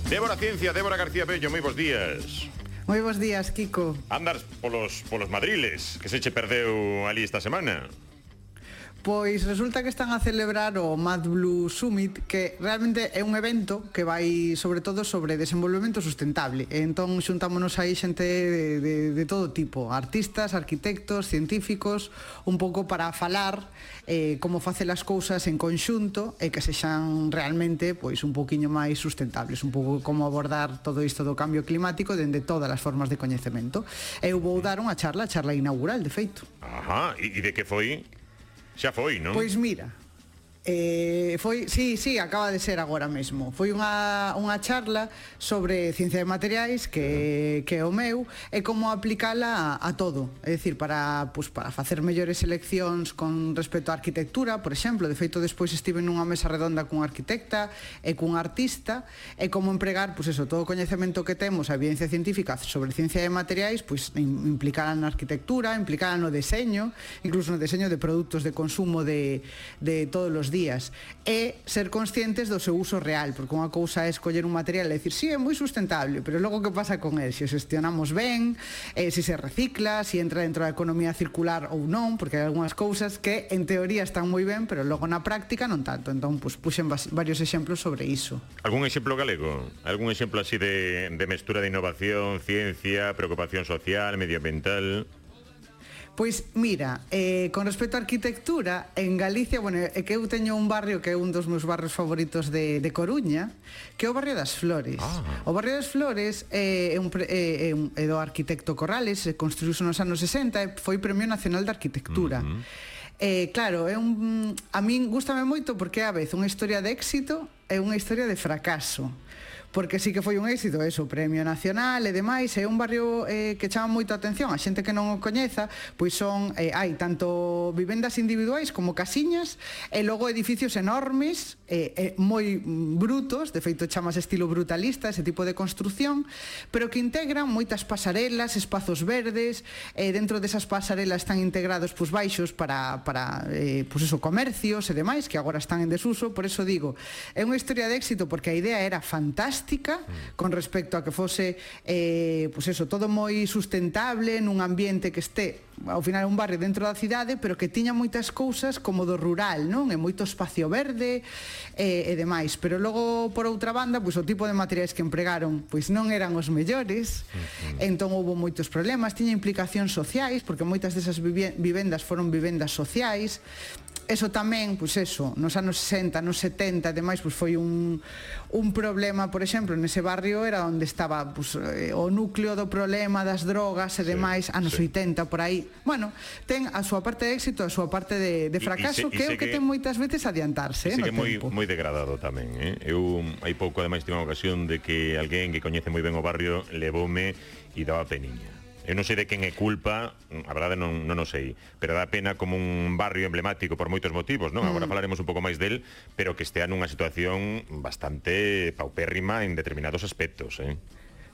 Débora Ciencia, Débora García Bello, moi bons días. Moi bons días, Kiko. Andas polos madriles, que se che perdeu ali esta semana. Pois resulta que están a celebrar o Mad Blue Summit, que realmente é un evento que vai sobre todo sobre desenvolvemento sustentable. Entón xuntámonos aí xente de todo tipo, artistas, arquitectos, científicos, un pouco para falar como facer as cousas en conxunto e que sexan realmente pois un poquinho máis sustentables, un pouco como abordar todo isto do cambio climático dende todas as formas de coñecemento. Eu vou dar unha charla inaugural, de feito. Ajá, e de que foi? Xa foi, non? Pois mira, foi, sí, acaba de ser agora mesmo. Foi unha charla sobre ciencia de materiais que é o meu e como aplicala a todo. É dicir, para facer mellores seleccións con respecto á arquitectura, por exemplo. De feito, despois estive nunha mesa redonda cun arquitecta e cun artista e como empregar, todo o coñecemento que temos, a evidencia científica sobre ciencia de materiais, implicar na arquitectura, implicar no deseño, incluso no deseño de produtos de consumo de todos os días, e ser conscientes do seu uso real, porque unha cousa é escoller un material e dicir, sí, é moi sustentable, pero logo que pasa con el? Se o gestionamos ben, se se recicla, se entra dentro da economía circular ou non, porque hai algunhas cousas que en teoría están moi ben, pero logo na práctica non tanto. Entón, puxen varios exemplos sobre iso. Algún exemplo galego? Algún exemplo así de mestura de innovación, ciencia, preocupación social, medioambiental? Pois mira, con respecto á arquitectura, en Galicia, é que eu teño un barrio que é un dos meus barrios favoritos de Coruña, que é o barrio das Flores. O barrio das Flores é do arquitecto Corrales, construíuse nos anos 60 e foi Premio Nacional de Arquitectura. Claro, a min gústame moito porque é a vez unha historia de éxito e unha historia de fracaso, porque sí que foi un éxito, o Premio Nacional e demais. É un barrio que chama moito a atención a xente que non o coñeza, pois hai tanto vivendas individuais como casiñas e logo edificios enormes, moi brutos, de feito chamas estilo brutalista ese tipo de construción, pero que integran moitas pasarelas, espazos verdes, dentro desas pasarelas están integrados baixos para comercios e demais que agora están en desuso. Por eso digo, é unha historia de éxito porque a idea era fantástica con respecto a que fose todo moi sustentable nun ambiente que este ao final un barrio dentro da cidade, pero que tiña moitas cousas como do rural, non? E moito espacio verde e demais, pero logo por outra banda, o tipo de materiais que empregaron non eran os mellores. Entón houve moitos problemas, tiña implicacións sociais, porque moitas desas vivendas foron vivendas sociais. Eso tamén, nos anos 60, nos 70 e demais, foi un problema, por exemplo, nese barrio era onde estaba o núcleo do problema das drogas e demais, anos 80, por aí. Ten a súa parte de éxito, a súa parte de fracaso, que é o que ten moitas veces adiantarse no tempo. Moi degradado tamén, Eu, hai pouco, ademais, tive unha ocasión de que alguén que coñece moi ben o barrio levoume e daba peniña. Eu non sei de quen é culpa, a verdade non o sei, pero dá pena como un barrio emblemático por moitos motivos, non? Agora falaremos un pouco máis del, pero que estea nunha situación bastante paupérrima en determinados aspectos,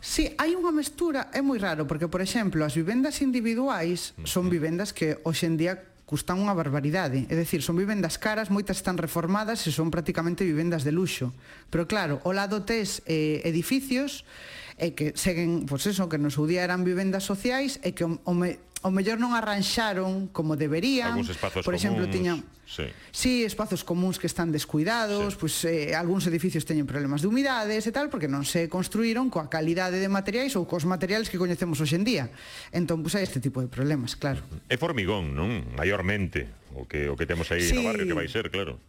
Sí, hai unha mestura, é moi raro, porque, por exemplo, as vivendas individuais son vivendas que hoxe en día custan unha barbaridade, é dicir, son vivendas caras, moitas están reformadas e son prácticamente vivendas de luxo, pero claro, ao lado tes edificios que seguen, que no seu día eran vivendas sociais e que o mellor non arranxaron como deberían. Algúns espazos por exemplo, comuns, tiñan espazos comuns que están descuidados, algúns edificios teñen problemas de humidades e tal, porque non se construíron coa calidade de materiais ou cos materiais que coñecemos hoxe en día. Entón, hai este tipo de problemas, claro. É formigón, non? Maiormente, o que temos aí no barrio, que vai ser, claro.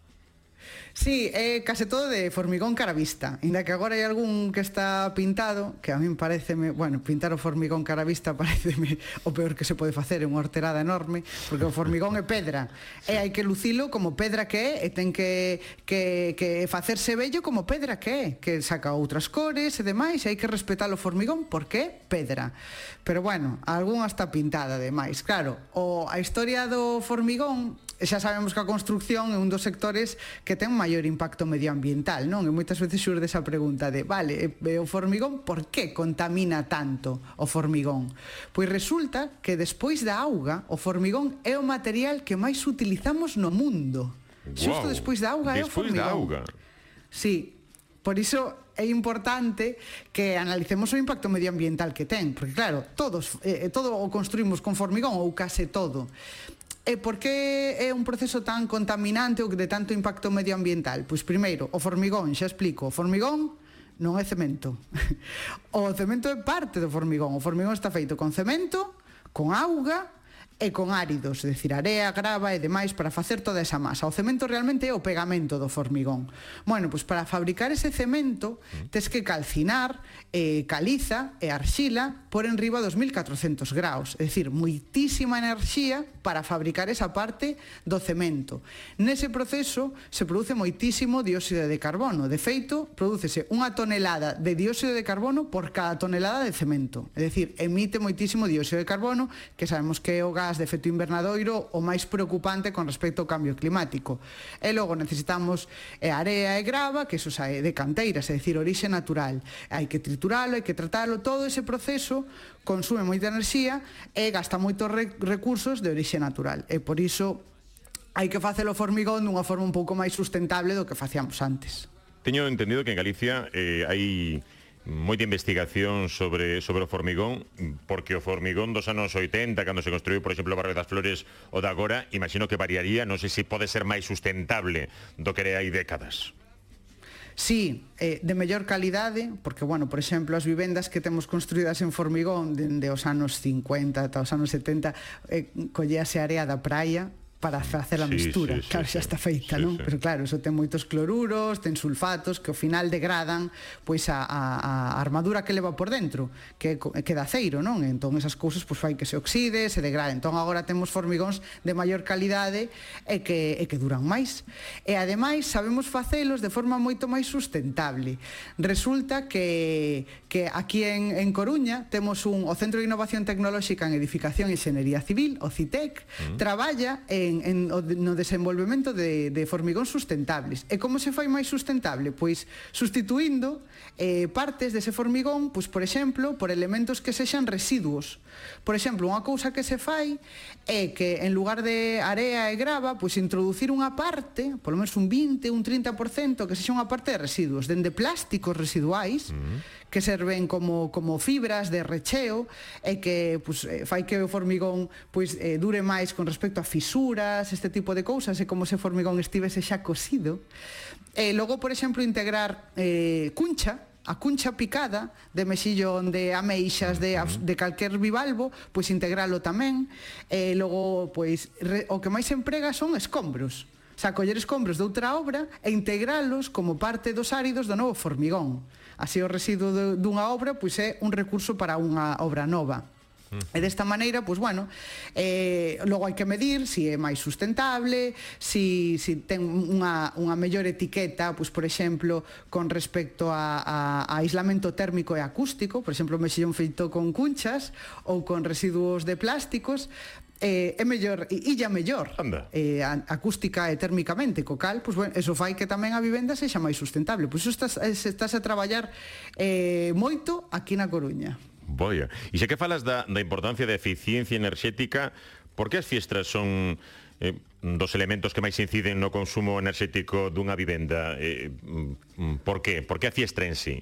Sí, é case todo de formigón cara vista, inda que agora hai algún que está pintado, que a min pareceme, pintar o formigón cara vista pareceme o peor que se pode facer, é unha horterada enorme, porque o formigón é pedra, e hai que lucilo como pedra que é, e ten que facerse bello como pedra que é, que saca outras cores e demais, e hai que respetar o formigón porque é pedra. Pero algunha está pintada ademais. Claro, a historia do formigón, xa sabemos que a construcción é un dos sectores que ten maior impacto medioambiental, non? E moitas veces xurde esa pregunta de, o formigón, por que contamina tanto o formigón? Pois resulta que despois da auga, o formigón é o material que máis utilizamos no mundo. Xusto despois da auga é o formigón. Despois da auga? Sí. Por iso é importante que analicemos o impacto medioambiental que ten, porque claro, todo o construímos con formigón ou case todo. E por que é un proceso tan contaminante ou de tanto impacto medioambiental? Pois primeiro, o formigón, xa explico, o formigón non é cemento. O cemento é parte do formigón. O formigón está feito con cemento, con auga e con áridos, é dicir, area, grava e demais para facer toda esa masa. O cemento realmente é o pegamento do formigón. Bueno, pois para fabricar ese cemento tes que calcinar caliza e arxila por enriba dos 1400 graus, é dicir, moitísima enerxía para fabricar esa parte do cemento. Nese proceso se produce moitísimo dióxido de carbono. De feito, prodúcese unha tonelada de dióxido de carbono por cada tonelada de cemento. É dicir, emite moitísimo dióxido de carbono, que sabemos que é o gas de efecto invernadoiro o máis preocupante con respecto ao cambio climático. E logo necesitamos area e grava, que eso sae de canteiras, é dicir, orixe natural. Hai que trituralo, hai que tratalo, todo ese proceso consume moita enerxía e gasta moitos recursos de orixe natural. E por iso hai que facelo formigón dunha forma un pouco máis sustentable do que facíamos antes. Teño entendido que en Galicia hai moita investigación sobre o formigón, porque o formigón dos anos 80, cando se construiu, por exemplo, o barrio das Flores, o de agora, imagino que variaría, non sei se pode ser máis sustentable do que hai décadas. Sí, de mellor calidade, porque, bueno, por exemplo, as vivendas que temos construídas en formigón dende os anos 50 ata os anos 70, colléase a area da praia para facer a mistura, claro, xa está feita, non? Pero claro, iso ten moitos cloruros, ten sulfatos que ao final degradan pois a armadura que leva por dentro, que é de aceiro, non? Entón esas cousas pois fai que se oxide, se degrade. Entón agora temos formigóns de maior calidade e que duran máis. E ademais sabemos facelos de forma moito máis sustentable. Resulta que aquí en Coruña temos o Centro de Innovación Tecnolóxica en Edificación e Enxeñería Civil, o CITEC, traballa no desenvolvemento de formigón sustentables. E como se fai máis sustentable? Pois sustituindo partes dese formigón, pois, por exemplo, por elementos que sexan residuos. Por exemplo, unha cousa que se fai é que en lugar de area e grava, pois introducir unha parte, polo menos un 20, un 30%, que sexa unha parte de residuos, dende plásticos residuais, que serven como fibras de recheo e que pois, fai que o formigón pois, dure máis con respecto a fisuras, este tipo de cousas, e como se o formigón estivese xa cosido. E logo, por exemplo, integrar cuncha, a cuncha picada de mexillón, de ameixas, de calquer bivalvo, pois integralo tamén. E logo, pois, o que máis se emprega son escombros. O sea, coller escombros de outra obra e integralos como parte dos áridos do novo formigón. Así o residuo dunha obra pois é un recurso para unha obra nova. E desta maneira, pois bueno, logo hai que medir se é máis sustentable, se ten unha mellor etiqueta, pois por exemplo, con respecto a aislamento térmico e acústico, por exemplo, o mexillón feito con cunchas ou con residuos de plásticos, é mellor, illa mellor acústica e térmicamente, co cal, pois bueno, eso fai que tamén a vivenda sexa máis sustentable. Pois iso estás a traballar moito aquí na Coruña. Boia. E xa que falas da importancia da eficiencia enerxética, por que as fiestras son dos elementos que máis inciden no consumo enerxético dunha vivenda? Por que? Por que a fiestra en sí?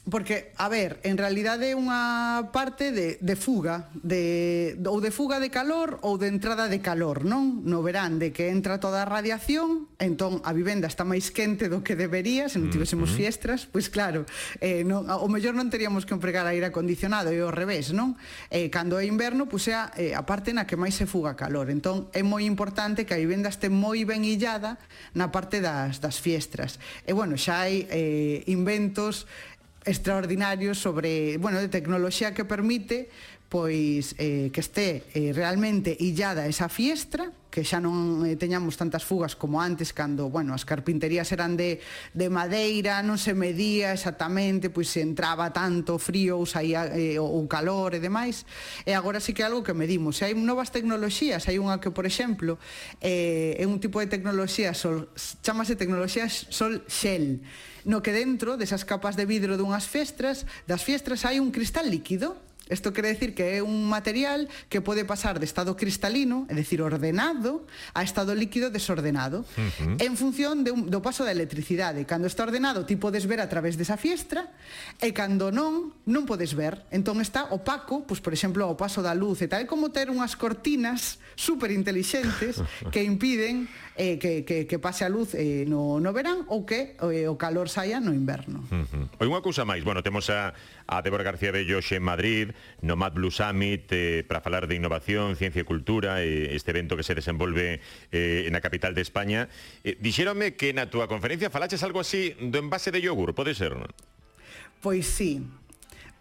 Porque, a ver, en realidade é unha parte de fuga, ou de fuga de calor ou de entrada de calor, non? No verán, de que entra toda a radiación, entón a vivenda está máis quente do que debería, se non tivésemos fiestras, pois claro, o mellor non teríamos que empregar aire acondicionado, e ao revés, non? Cando é inverno, pois é a parte na que máis se fuga calor, entón é moi importante que a vivenda este moi ben illada na parte das fiestras. E, bueno, xa hai inventos extraordinarios sobre, bueno, de tecnoloxía que permite pois que este realmente illada esa fiestra, que xa non teñamos tantas fugas como antes, cando, bueno, as carpinterías eran de madeira, non se medía exactamente, pois se entraba tanto frío ou saía o calor e demais, e agora sí que é algo que medimos. E hai novas tecnoloxías, hai unha que, por exemplo, é un tipo de tecnoloxía, chamase tecnoloxía Sol Shell, no que dentro desas capas de vidro das fiestras hai un cristal líquido. Isto quere decir que é un material que pode pasar de estado cristalino, é dicir, ordenado, a estado líquido desordenado, en función do paso da electricidade. Cando está ordenado, ti podes ver a través desa fiestra, e cando non podes ver. Entón está opaco, pois, por exemplo, o paso da luz e tal, como ter unhas cortinas super intelixentes que impiden que pase a luz no verán ou que o calor saia no inverno. Oi, unha cousa máis, bueno, temos a Débora García Bello en Madrid, no Mad Blue Summit, para falar de innovación, ciencia e cultura, este evento que se desenvolve na capital de España. Dixérome que na túa conferencia falaches algo así do envase de yogur, pode ser? Pois sí.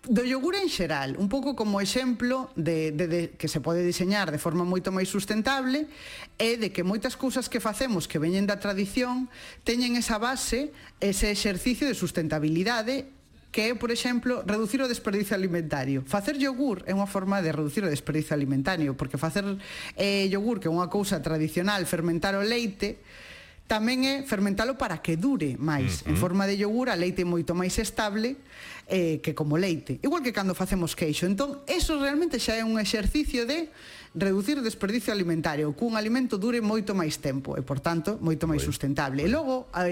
Do yogur en xeral, un pouco como exemplo de que se pode diseñar de forma moito máis sustentable e de que moitas cousas que facemos que veñen da tradición teñen esa base, ese exercicio de sustentabilidade que é, por exemplo, reducir o desperdicio alimentario. Facer yogur é unha forma de reducir o desperdicio alimentario, porque facer yogur, que é unha cousa tradicional, fermentar o leite, tamén é fermentalo para que dure máis. En forma de yogur, a leite é moito máis estable que como leite. Igual que cando facemos queixo. Entón, eso realmente xa é un exercicio de reducir o desperdicio alimentario, que un alimento dure moito máis tempo e, por tanto, moito máis sustentable. E logo, a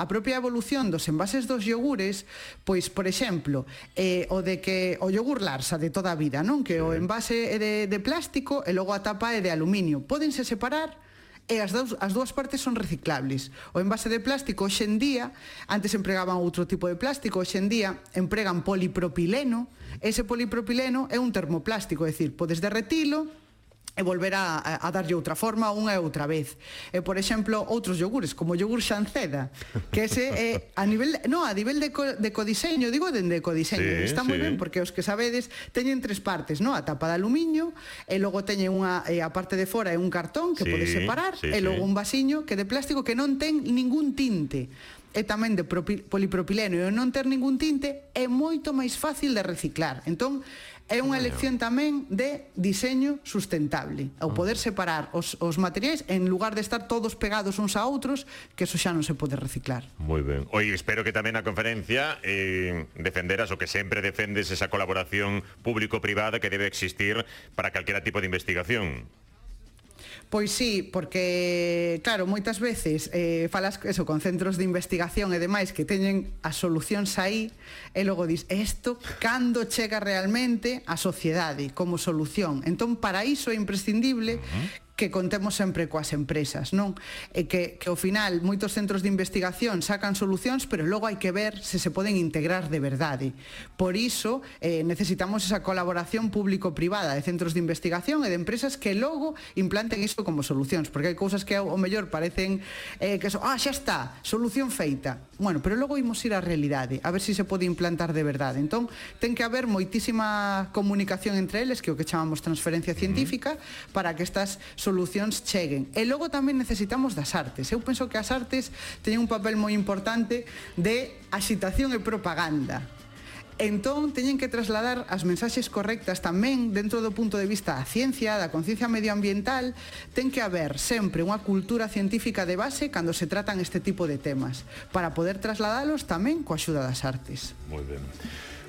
propia evolución dos envases dos yogures, pois, por exemplo, o yogur Larsa de toda a vida, non? Que o envase é de plástico e logo a tapa é de aluminio. Pódense separar e as dúas partes son reciclables. O envase de plástico hoxe en día, antes empregaban outro tipo de plástico, hoxe en día empregan polipropileno. Ese polipropileno é un termoplástico, é dicir, podes derretilo e volver a darlle outra forma unha e outra vez. E, por exemplo, outros yogures, como o yogur Xanceda, que ese é a nivel de codiseño, digo dende codiseño, está moi ben, porque os que sabedes teñen tres partes, a tapa de aluminio, e logo teñen a parte de fora é un cartón que podes separar, e logo un vasiño que de plástico que non ten ningún tinte. E tamén de polipropileno, e non ter ningún tinte é moito máis fácil de reciclar. Entón, é unha elección tamén de diseño sustentable, ao poder separar os materiais en lugar de estar todos pegados uns a outros, que eso xa non se pode reciclar. Moi ben. Oi, espero que tamén na conferencia defenderas o que sempre defendes, esa colaboración público-privada que debe existir para calquera tipo de investigación. Pois sí, porque, claro, moitas veces falas eso con centros de investigación e demais que teñen as solucións aí e logo dis, isto cando chega realmente á sociedade como solución? Entón, para iso é imprescindible que contemos sempre coas empresas, non? E que ao final moitos centros de investigación sacan solucións, pero logo hai que ver se se poden integrar de verdade. Por iso necesitamos esa colaboración público-privada de centros de investigación e de empresas que logo implanten isto como solucións, porque hai cousas que ao mellor parecen que son, xa está, solución feita. Bueno, pero logo imos ir á realidade, a ver se se pode implantar de verdade. Entón, ten que haber moitísima comunicación entre eles, que é o que chamamos transferencia científica, para que estas solucións cheguen. E logo tamén necesitamos das artes. Eu penso que as artes teñen un papel moi importante de axitación e propaganda. Entón, teñen que trasladar as mensaxes correctas tamén dentro do punto de vista da ciencia, da conciencia medioambiental. Ten que haber sempre unha cultura científica de base cando se tratan este tipo de temas, para poder trasladalos tamén coa axuda das artes. Moi ben.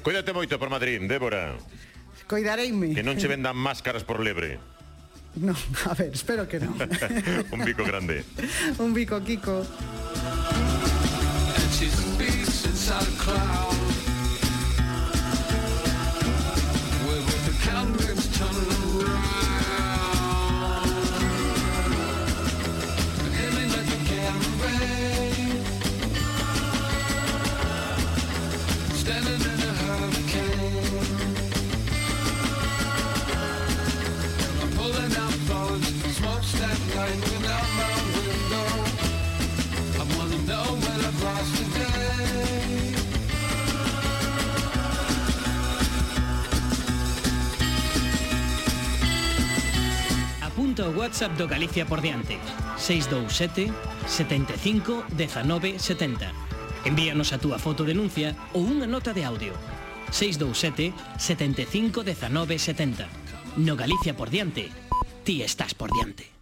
Cuídate moito por Madrid, Débora. Coidareime. Que non che vendan máscaras por lebre. No, a ver, espero que non. Un bico grande. Un bico, Kiko. Apunta o WhatsApp do Galicia por diante 627 75 19 70. Envíanos a túa foto denuncia ou unha nota de audio 627 75 19 70. No Galicia por diante, ti estás por diante.